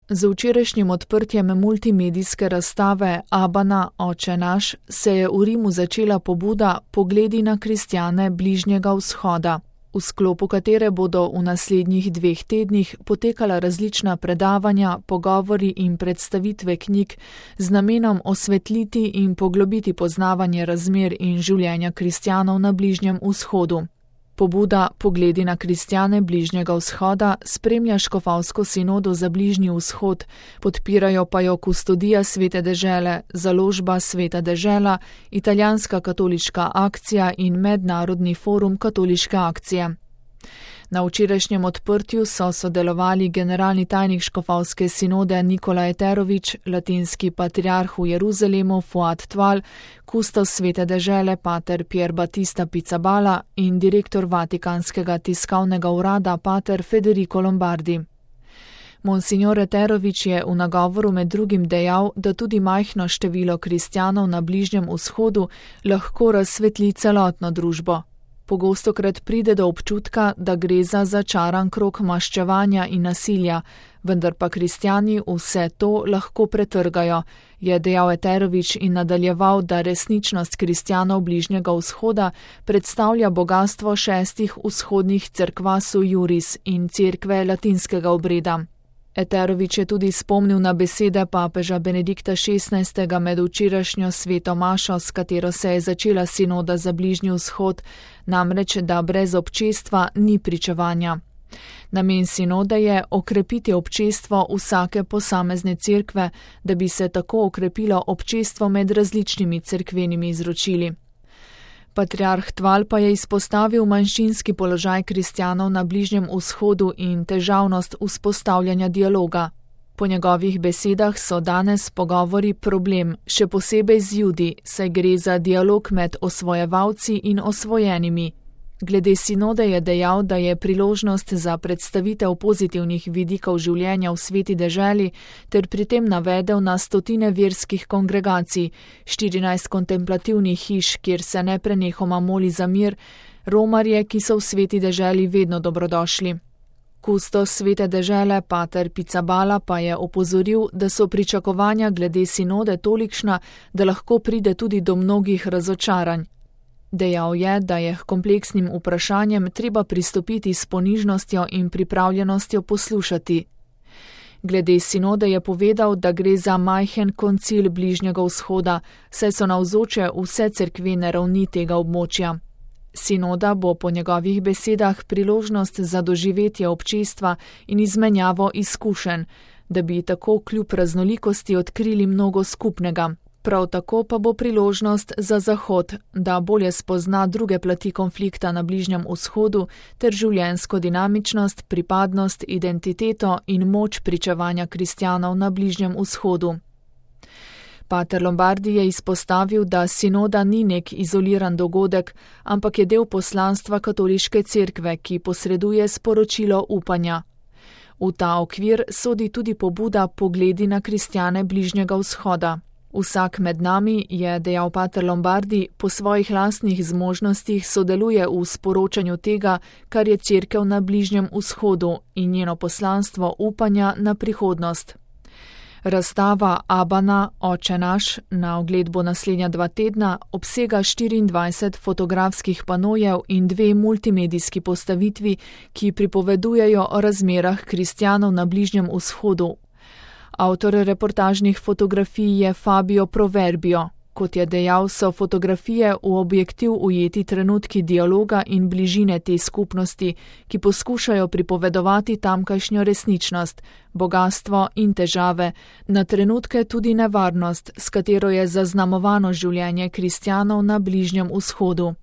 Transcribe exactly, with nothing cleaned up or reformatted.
Z včerajšnjim odprtjem multimedijske razstave Abana, Oče naš, se je v Rimu začela pobuda Pogledi na kristjane Bližnjega vzhoda, v sklopu katere bodo v naslednjih dveh tednih potekala različna predavanja, pogovori in predstavitve knjig z namenom osvetliti in poglobiti poznavanje razmer in življenja kristjanov na Bližnjem vzhodu. Pobuda Pogledi na kristjane Bližnjega vzhoda spremlja škofovsko sinodo za Bližnji vzhod, podpirajo pa jo Kustodija Svete dežele, Založba Sveta dežela, Italijanska katoliška akcija in Mednarodni forum katoliške akcije. Na včerajšnjem odprtju so sodelovali generalni tajnik škofovske sinode Nikola Eterović, latinski patriarh v Jeruzalemu Fuad Tval, kustos Svete dežele pater Pier Battista Pizzaballa in direktor Vatikanskega tiskovnega urada pater Federico Lombardi. Monsignor Eterović je v nagovoru med drugim dejal, da tudi majhno število kristjanov na Bližnjem vzhodu lahko razsvetli celotno družbo. Pogostokrat pride do občutka, da gre za začaran krog maščevanja in nasilja, vendar pa kristjani vse to lahko pretrgajo, je dejal Eterović in nadaljeval, da resničnost kristjanov Bližnjega vzhoda predstavlja bogastvo šestih vzhodnih cerkva sui iuris in cerkve latinskega obreda. Eterović je tudi spomnil na besede papeža Benedikta šestnajstega med včerajšnjo sveto mašo, s katero se je začela sinoda za Bližnji vzhod, namreč da brez občestva ni pričevanja. Namen sinode je okrepiti občestvo vsake posamezne cerkve, da bi se tako okrepilo občestvo med različnimi cerkvenimi izročili. Patriarh Tval pa je izpostavil manjšinski položaj kristjanov na Bližnjem vzhodu in težavnost vzpostavljanja dialoga. Po njegovih besedah so danes pogovori problem, še posebej z Judi, saj gre za dialog med osvojevalci in osvojenimi. Glede sinode je dejal, da je priložnost za predstavitev pozitivnih vidikov življenja v sveti deželi ter pri tem navedel na stotine verskih kongregacij, štirinajst kontemplativnih hiš, kjer se neprenehoma moli za mir, romarje, ki so v sveti deželi vedno dobrodošli. Kustos Svete dežele pater Pizzaballa pa je opozoril, da so pričakovanja glede sinode tolikšna, da lahko pride tudi do mnogih razočaranj. Dejal je, da je k kompleksnim vprašanjem treba pristopiti s ponižnostjo in pripravljenostjo poslušati. Glede sinode je povedal, da gre za majhen koncil Bližnjega vzhoda, saj so navzoče vse cerkvene ravni tega območja. Sinoda bo po njegovih besedah priložnost za doživetje občestva in izmenjavo izkušenj, da bi tako kljub raznolikosti odkrili mnogo skupnega. Prav tako pa bo priložnost za Zahod, da bolje spozna druge plati konflikta na Bližnjem vzhodu ter življenjsko dinamičnost, pripadnost, identiteto in moč pričevanja kristjanov na Bližnjem vzhodu. Pater Lombardi je izpostavil, da sinoda ni nek izoliran dogodek, ampak je del poslanstva katoliške cerkve, ki posreduje sporočilo upanja. V ta okvir sodi tudi pobuda Pogledi na kristjane Bližnjega vzhoda. Vsak med nami, je dejal pater Lombardi, po svojih lastnih zmožnostih sodeluje v sporočanju tega, kar je cerkev na Bližnjem vzhodu in njeno poslanstvo upanja na prihodnost. Razstava Abana, Oče naš, na ogled bo naslednja dva tedna, obsega štiriindvajset fotografskih panojev in dve multimedijski postavitvi, ki pripovedujejo o razmerah kristjanov na Bližnjem vzhodu. Avtor reportažnih fotografij je Fabio Proverbio. Kot je dejal, so fotografije v objektiv ujeti trenutki dialoga in bližine te skupnosti, ki poskušajo pripovedovati tamkajšnjo resničnost, bogastvo in težave, na trenutke tudi nevarnost, s katero je zaznamovano življenje kristjanov na Bližnjem vzhodu.